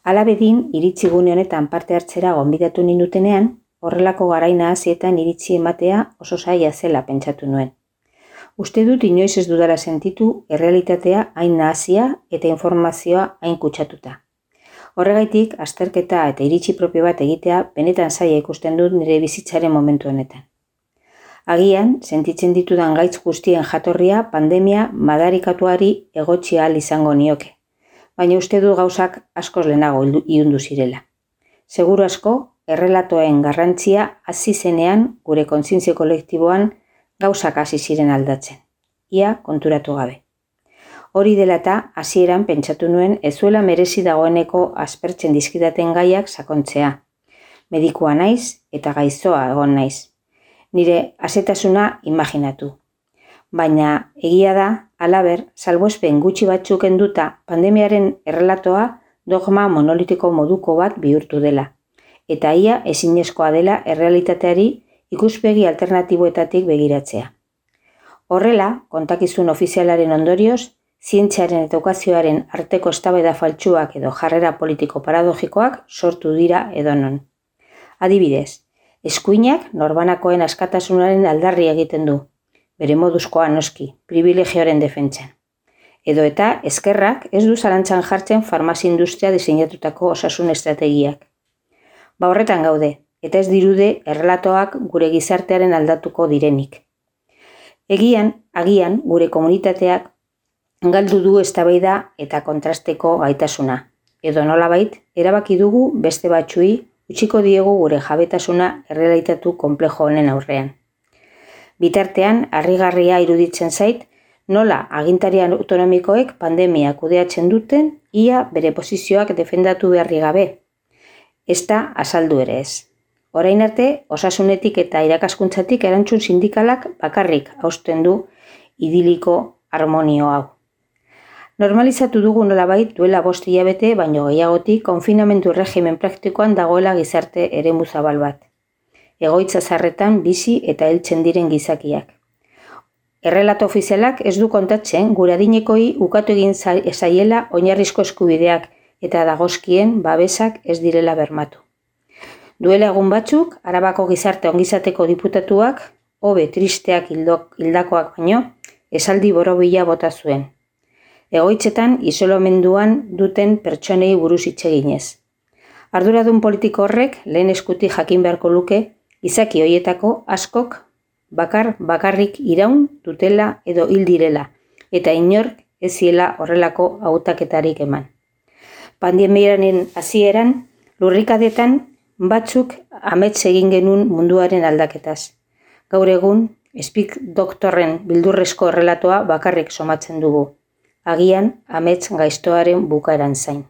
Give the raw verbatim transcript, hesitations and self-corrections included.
Hala bedin, iritzi gune honetan parte hartzera gonbidatu nindutenean, horrelako garai nahasietan iritzi ematea oso zaila zela pentsatu nuen. Uste dut inoiz ez dudala sentitu errealitatea hain nahasia eta informazioa hain kutsatuta. Horregaitik, azterketa eta iritzi propio bat egitea benetan zaila ikusten dut nire bizitzaren momentu honetan. Agian, sentitzen ditudan gaitz guztien jatorria pandemia madarikatuari egotzi ahal izango nioke, baina uste du gauzak askoz lehenago ilundu zirela. Seguru asko, errelatoen garrantzia hasi zenean gure kontzientzia kolektiboan gauzak hasi ziren aldatzen, ia konturatu gabe. Hori dela eta hasieran pentsatu nuen ez zuela merezi dagoeneko aspertzen dizkidaten gaiak sakontzea. Medikua naiz eta gaixoa egon naiz. Nire asetasuna imaginatu. Baina egia da, halaber, salbuespen gutxi batzuk kenduta pandemiaren errelatoa dogma monolitiko moduko bat bihurtu dela. Eta ia ezinezkoa dela errealitateari ikuspegi alternatiboetatik begiratzea. Horrela, kontakizun ofizialaren ondorioz, zientziaren eta edukazioaren arteko eztabaida faltsuak edo jarrera politiko paradogikoak sortu dira edonon. Adibidez, eskuinak norbanakoen askatasunaren aldarri egiten du, bere moduzkoa noski, privilegioaren defentsan. Edo eta ezkerrak ez du zalantzan jartzen farmazia industria diseinatutako osasun estrategiak. Ba horretan gaude, eta ez dirude errelatoak gure gizartearen aldatuko direnik. Egian, agian, gure komunitateak galdu du eztabaida eta kontrasteko gaitasuna. Edo nolabait, erabaki dugu beste batzuei utziko diegu gure jabetasuna errealitatu konplejo honen aurrean. Bitartean, harrigarria iruditzen zait, nola agintari autonomikoek pandemia kudeatzen duten, ia bere posizioak defendatu beharri gabe. Ez da azaldu ere ez. Orain arte, osasunetik eta irakaskuntzatik erantzun sindikalak bakarrik hausten du idiliko harmonio hau. Normalizatu dugu nolabait duela bost hilabete baino gehiagotik konfinamentu regimen praktikoan dagoela gizarte eremu zabal bat. Egoitza zarretan bizi eta heltzen diren gizakiak. Errelato ofizialak ez du kontatzen gure adinekoi ukatu egin zaiela oinarrizko eskubideak eta dagozkien babesak ez direla bermatu. Duela egun batzuk, Arabako gizarte ongizateko diputatuak, hobe tristeak hildakoak baino, esaldi borobila bota zuen. Egoitzetan isolamenduan duten pertsonei buruz hitz eginez. Arduradun politiko horrek lehen eskutik jakin beharko luke, izaki hoietako askok bakar bakarrik iraun dutela edo hil direla, eta inork ez ziela horrelako hautaketarik eman. Pandemiaren hasieran, lurrikadetan batzuk amets egin genuen munduaren aldaketaz. Gaur egun, Speak Doktorren bildurrezko errelatoa bakarrik somatzen dugu. Agian, amets gaiztoaren bukaeran zain.